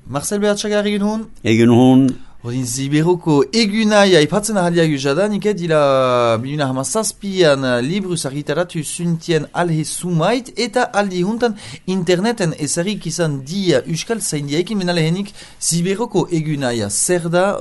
Marcel Behatxagar egin hon? Egin hon. Odin Ziberoko egunaia ipatzen ahaliak usadan, dila 2017an libruz argitaratu zuntien alhe sumait, eta aldi huntan interneten ezarik izan dia Euskal Zaindiaekin menalehenik Ziberoko egunaia zer da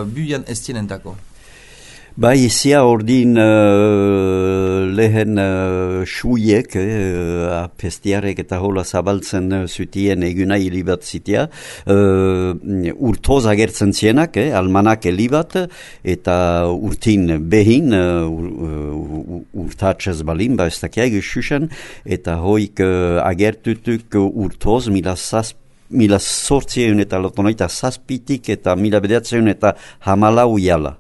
buian estienentako? Bai, zia ordin lehen suiek, apestiarek eta hola zabaltzen zutien egunai libat zitea, urtoz agertzen zienak, almanak libat, eta urtin behin, urtatzez balin, ez dakiag susen, eta hoik agertutuk urtoz, mila sortzieun eta lotonoita zazpitik, eta mila bedeatzeun eta hamalau jala.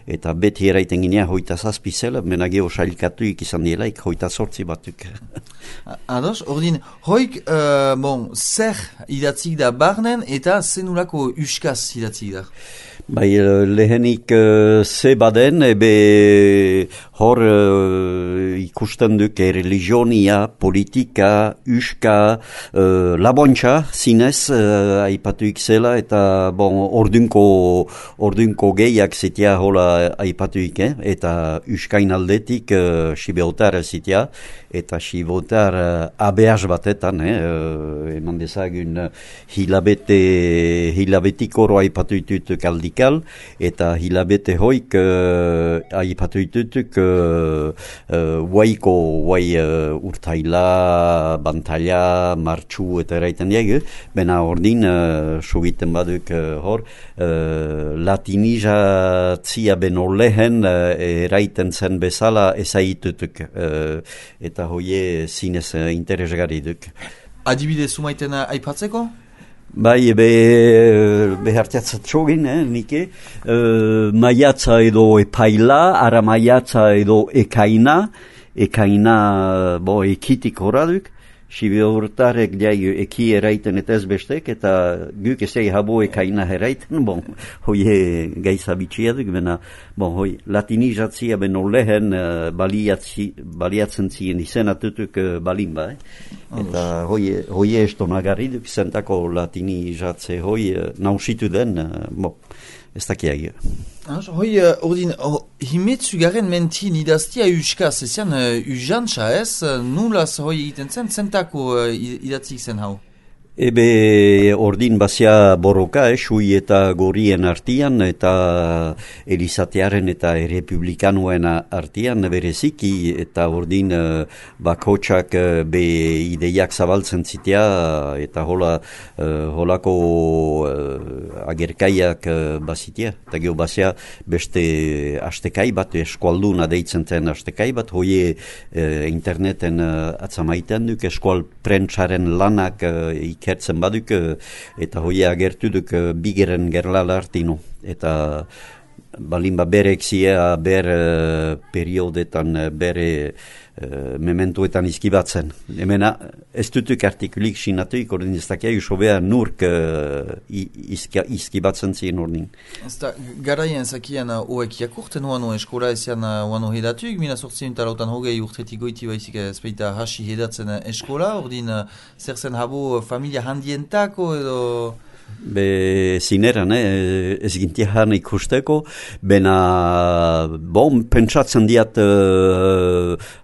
Eta beti eraiten ginea hoita zazpi zela, menageo sailkatuik izan dielaik hoita sortzi batuk. Ados, ordin, hoik, zer idatzik da barnen eta zenulako uskaz idatzik da? Bai, lehenik ze baden, ebe hor ikusten duk religionia, politika, uska, labontxa, zinez, aipatuik zela, eta ordunko gehiak zitea hola aipatuik, eta uskain aldetik sibeotar zitea, eta sibeotar abeaz batetan, eman dezagun hilabetik oro aipatuitut kaldikal, eta hilabete hoik aipatuitutuk urtaila, bantaila, martxu eta eraiten diag, bena ordin sugiten baduk hor, latinizatzia beno lehen eraiten zen bezala ezaitutuk, eta hoie zinez interesgarri duk. Adibide sumaiten aipatzeko? Bai, behartiatzat txogin, nike, maiatza edo epaila, ara maiatza edo ekaina, ekitik horaduk, sibeortarek diai eki eraiten eta ez bestek, eta guk ezai habo ekaina eraiten, hoie gaiza bitxiaduk, hoi latinizatzia beno lehen baliatzen ziren izenatutuk balin ba, eta hoie estonagarriduk zentako latinizatze hoi nausitu den, ez dakiagia. Hoi, ordin, himetzu garen mentin idaztia euskaz, ezean ujantza ez, nulaz hoi egiten zen, zentako idatzik zen hau? Ebe ordin bazia borroka, sui eta gorien artian, eta elizatearen eta errepublikanuen artian bereziki, eta ordin bakotsak be ideiak zabaltzen zitea, eta holako agerkaiak bazitea. Eta geho bazia beste astekai bat, eskualduna deitzen zen astekai bat, hoie interneten atzamaiten duk, eskual prentsaren lanak ikertzen baduk, eta hoia agertu duk bigeren gerlala artino. Eta balin berek zia ber periodetan, bere mementuetan izkibatzen. Hemena ez dutuk artikulik sinatuik, ordin ez dakia usobea nurk izkibatzen ziren ordin. Ez da, garaien zakian oek jakurten oano eskola ezean oano hedatuik, 1908 hogei urtetik goiti baizik ezpeita hasi hedatzen eskola, ordin zer zen habo familia handientako edo... Be zineran, ez gintiahan ikusteko, bena, pentsatzen diat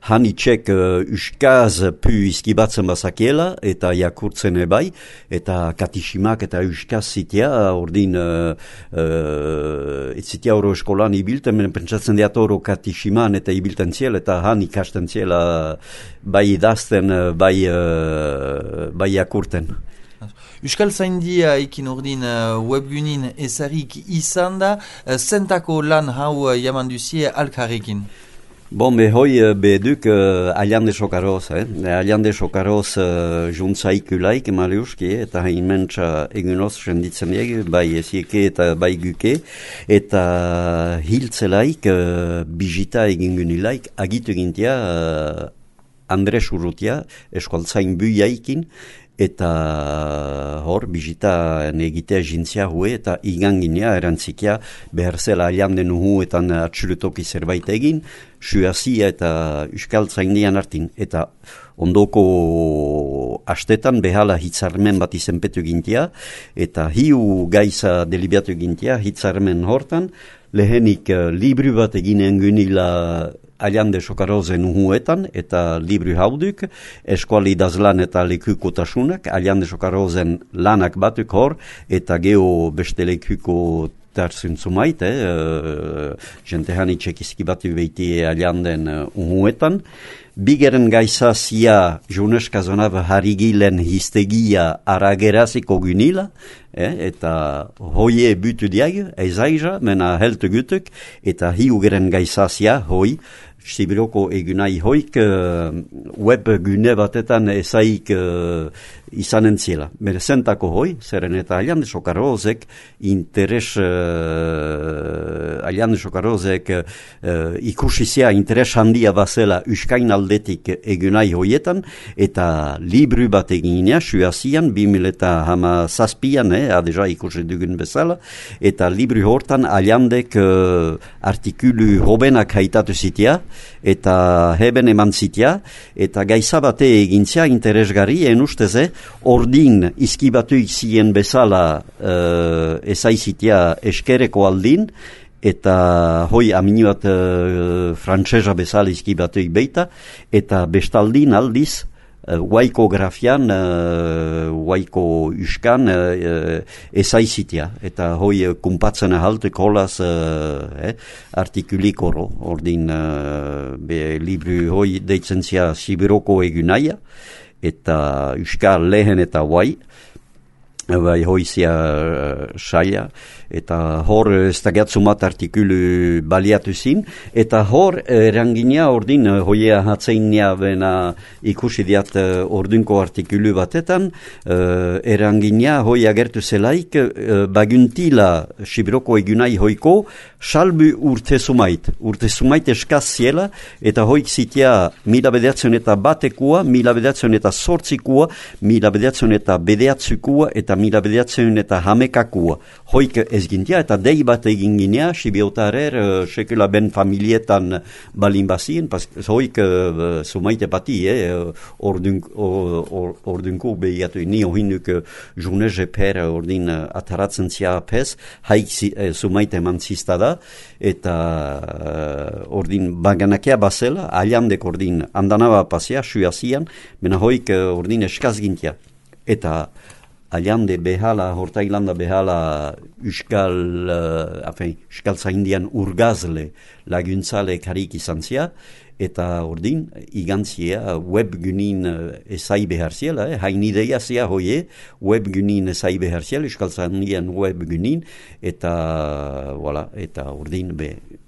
hanitxek uskaz pu izkibatzen bazakiela, eta jakurtzen ebai, eta katisimak eta uskaz zitea, ordin, ez zitea oro eskolan ibilten, bena pentsatzen diat oro katisiman eta ibilten ziela, eta han ikasten ziela bai idazten, bai jakurten. Euskal Zaindia ekin ordin webgunin ezarik izan da, zentako lan hau jaman duzie alkarrekin? Hoi beduk aliande sokaroz, aliande sokaroz juntzaikulaik maliuski, eta hain mentsa egunoz senditzen diag, bai ezieke eta bai guke, eta hiltzelaik, bizita egingunilaik, agitu gintia Andres Urrutia, eskualtzain buiaikin, eta hor, bizita egitea jintzia hue, eta iganginea erantzikia behar zela alianden uhuetan atxurutoki zerbait egin, suazia eta euskal zaindian hartin, eta ondoko astetan behala hitzarmen bat izenpetu gintia, eta hiu gaiza delibiatu gintia hitzarmen hortan, lehenik libru bat eginen gunila Allande Sokarozen uhuetan, eta libru hauduk, eskuali idazlan eta lekukotasunak, Allande Sokarozen lanak batuk hor, eta geho beste lekuko tarzun zumait, jentehani txekizki batu behiti Allanden uhuetan. Bigeren gaizazia Juneska zonava harigilen histegia arageraziko gunila, eta hoie butu diag, ezaiza, mena heltu gutuk, eta hiugeren gaizazia hoi, Sibiroko egunai hoik web gune batetan ezaik izanen ziela. Bere zentako hoi, zeren eta Allande Sokarozek interes Allande Sokarozek ikusizia interes handia bazela uskain aldetik egunai hoietan, eta libru bat eginea, suazian, 2017an, adeja ikusi dugun bezala, eta libru hortan Allandek artikulu hobenak haitatu zitea, eta heben eman zitea, eta gaiza bate egintzia interesgarri, usteze, ordin izkibatu izien bezala ezaizitea eskereko aldin, eta hoi amini bat frantsesa bezala izkibatu beita, eta bestaldin aldiz, Waiko grafian, waiko uskan ezaizitea, eta hoi kumpatzen ahaltuk holaz artikulik oro, ordin libru hoi deitzen zia Sibiroko egunaia, eta uskal lehen eta wai, bai hoizia saia, eta hor ez dagatzumat artikulu baliatu zin, eta hor erangina ordin hoia hatzeinia bena ikusi diat ordunko artikulu batetan, erangina hoi agertu zelaik baguntila Sibiroko egunai hoiko salbu urte sumait eskaz ziela, eta hoik zitea 1900 eta batekua, 1900 eta sortzikua, 1900 eta bedeatzukua, eta 1900 eta hamekakua. Hoik ez gintia, eta dei bat egin ginea, Sibiotarer, sekula ben familietan balin bazien, hoik sumaite pati, ordunko behiatu, ni ohinuk jurneze per ordin ataratzen zia pez, haik sumaite eman ziztada, eta ordin baganakea bazela, Allandek ordin andanaba pasea, suazian, mena hoik ordin eskaz gintia. Eta Allande behala, Hortailanda behala Euskal Zaindian urgazle laguntzale karik izan zia, eta ordin igantzia webgunin ezai behar ziela, hain ideia zia hoie, webgunin ezai behar ziela, Euskal Zaindian webgunin, eta ordin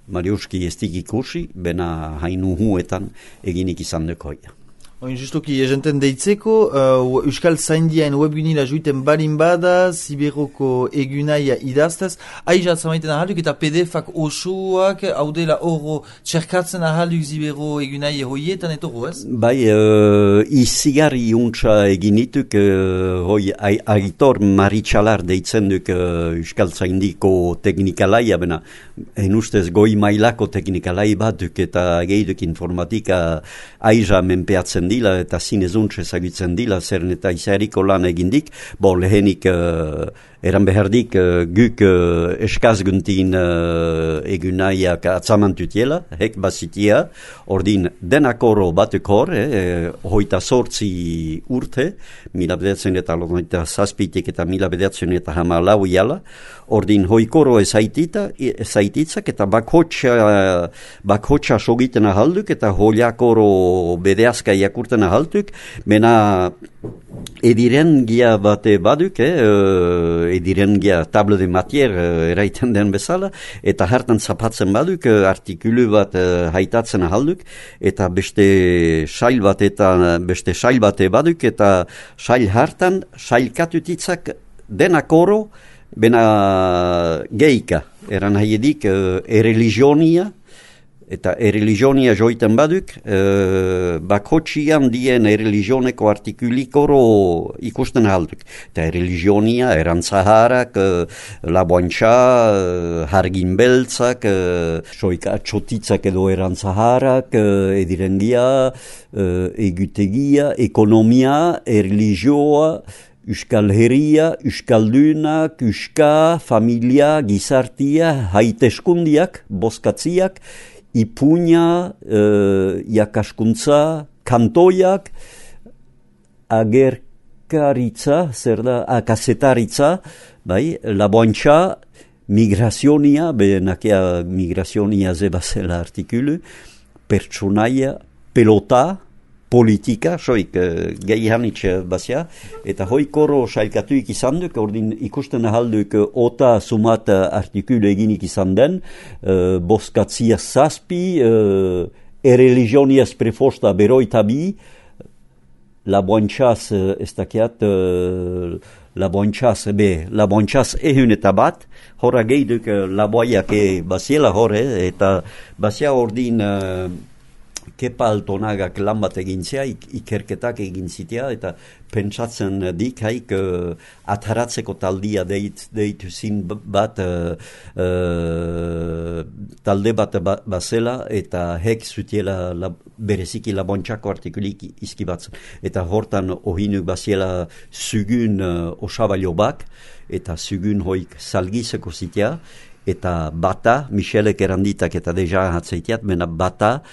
Mariuski ez dik ikusi, bena hain uhuetan eginik izan duk hoia. Justuki, jenten deitzeko, Euskal Zaindiaen webgunila juiten balin bada, Sibiroko egunaia idaztez, aizat zamaiten ahalduk eta PDF-ak osoak, haudela horro txerkatzen ahalduk Sibiro egunaia hoietan etoro, ez? Bai, izigarri untsa eginituk, hoi Aitor Maritxalar deitzen duk Euskal Zaindiko teknikalaia, bena, ustez goi mailako teknikalai bat duk eta geiduk informatika aiza menpeatzen dila eta zinezuntz ezagutzen dila, zeren eta izariko lan egindik, lehenik eran behardik guk eskazguntin egunaiak atzamantutiela, hek bazitia, ordin denakoro batuk hor, hoita sortzi urte, 1907 eta 1908 jala, ordin hoikoro ezaititzak eta bakhotxa sogiten ahalduk eta holiakoro bedeazka jakurten ahalduk, mena edirengia bate baduk, edirengia table de matier eraiten den bezala, eta hartan zapatzen baduk, artikulu bat haitatzen ahalduk, eta beste sail bate baduk, eta sail hartan, sailkatutitzak denakoro, bena geika, eran haiedik religionia, eta erreligionia joiten baduk, bakotxian dien erreligioneko artikulikoro ikusten halduk. Eta erreligionia, erantzaharak, laboantxa, hargin beltzak, soika txotitzak edo erantzaharak, edirengia, egutegia, ekonomia, erreligioa, Euskal Herria, Euskaldunak, Euska, familia, gizartia, haiteskundiak, bozkatziak, ipuña, jakaskuntza, kantoiak, agerkaritza, zer da, akazetaritza, bai, laboantxa, migrazionia, benakia migrazionia zebazela artikulu, pertsonaia, pelota, politika, soik gehianitz bazia, eta hoi koro sailkatuik izan duk, ordin ikusten ahalduk ota sumat artikulu eginik izan den, bozkatzia zazpi, erreligioniaz prefosta beroita bi, laboantxaz, ez dakiat, laboantxaz ehun eta bat, horra geiduk laboaiak baziela horre, eta bazia ordin Kepa Altonagak lan bat egintzea, ikerketak eginzitea, eta pentsatzen dik haik ataratzeko taldia deitu zin bat, talde bat bazela, eta hek zutiela bereziki labontxako artikulik izkibatzen. Eta hortan ohinuk baziela zugun osabalio bak, eta zugun hoik salgizeko zitea, eta bata, Michelek eranditak eta deja hatzeiteat, mena bata,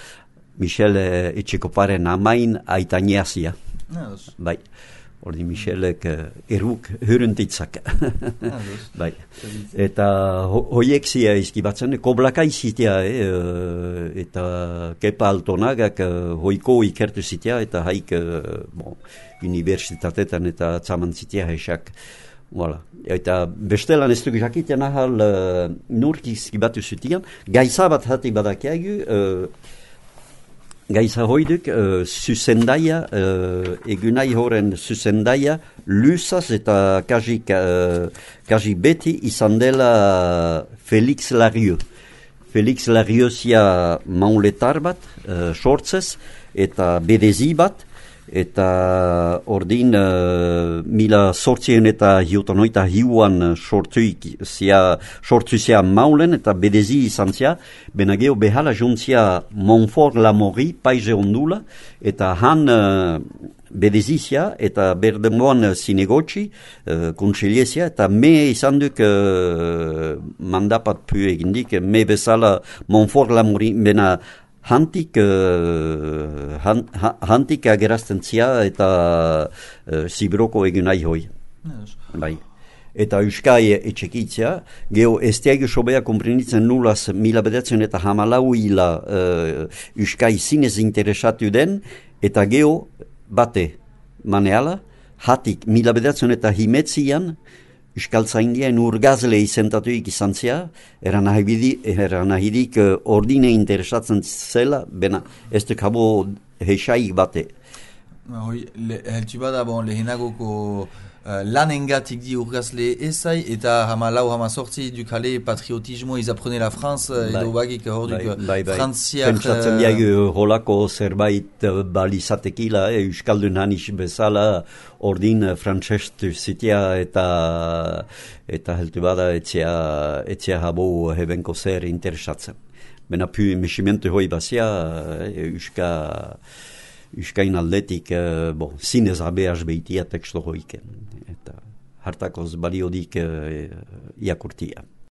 Michel Etxekoparen amain aitaneazia. Bai, ordi Michelek eruk huruntitzak. Bai, eta hoiek zia izkibatzen, koblaka izitea, eta Kepa Altonagak hoiko ikertu zitea, eta haik universitatetan eta tzaman zitea hesak. Voilà. Eta bestelan ez duk jakiten ahal nurk izkibatu zutian, gaiza bat hati badakiagu, Gaiza hoiduk, zuzendaia, egunai horren zuzendaia, lusaz eta kaji beti izan dela Felix Larieux. Felix Larieux zia mauletar bat, sortzez, eta bedezi bat, eta ordin mila sortzien eta hiutonoita hiuan sortu zia maulen eta bedezi izan zia, benageo behala juntzia Montfort Lamori paize ondula, eta han bedezizia eta berdemoan zinegotxi, kontsiliezia, eta me izan duk mandapat pu egindik, me bezala Montfort Lamori, bena hantik agerazten zia eta zibroko egunai hoi. Bai. Eta Euskai etxekitzea, geho esteago sobea komprenitzen nulaz mila bedatzen eta hamalau hila Euskai zinez interesatu den, eta geho bate maneala, hatik mila bedatzen eta himetzian, Euskaltzaindian urgazle izentatuik izan zea, eranahidik ordine interesatzen zela, bena ez duk habo hesaik bate. Heltu bada, lehenagoko lanengatik di urgazle ezai, eta hama sortzi dukale patriotismo izaprene la France, edo bagik hor duk frantziak... Pentsatzen diagu holako zerbait balizatekila, Euskaldun hanis bezala, ordin frantzestu zitea eta heltu bada etzea habo hebenko zer interesatzen. Bena pu mesimentu hoi bazia, Euskain aldetik, zinez abeaz behitia teksto hoiken. Eta hartakoz baliodik iakurtia.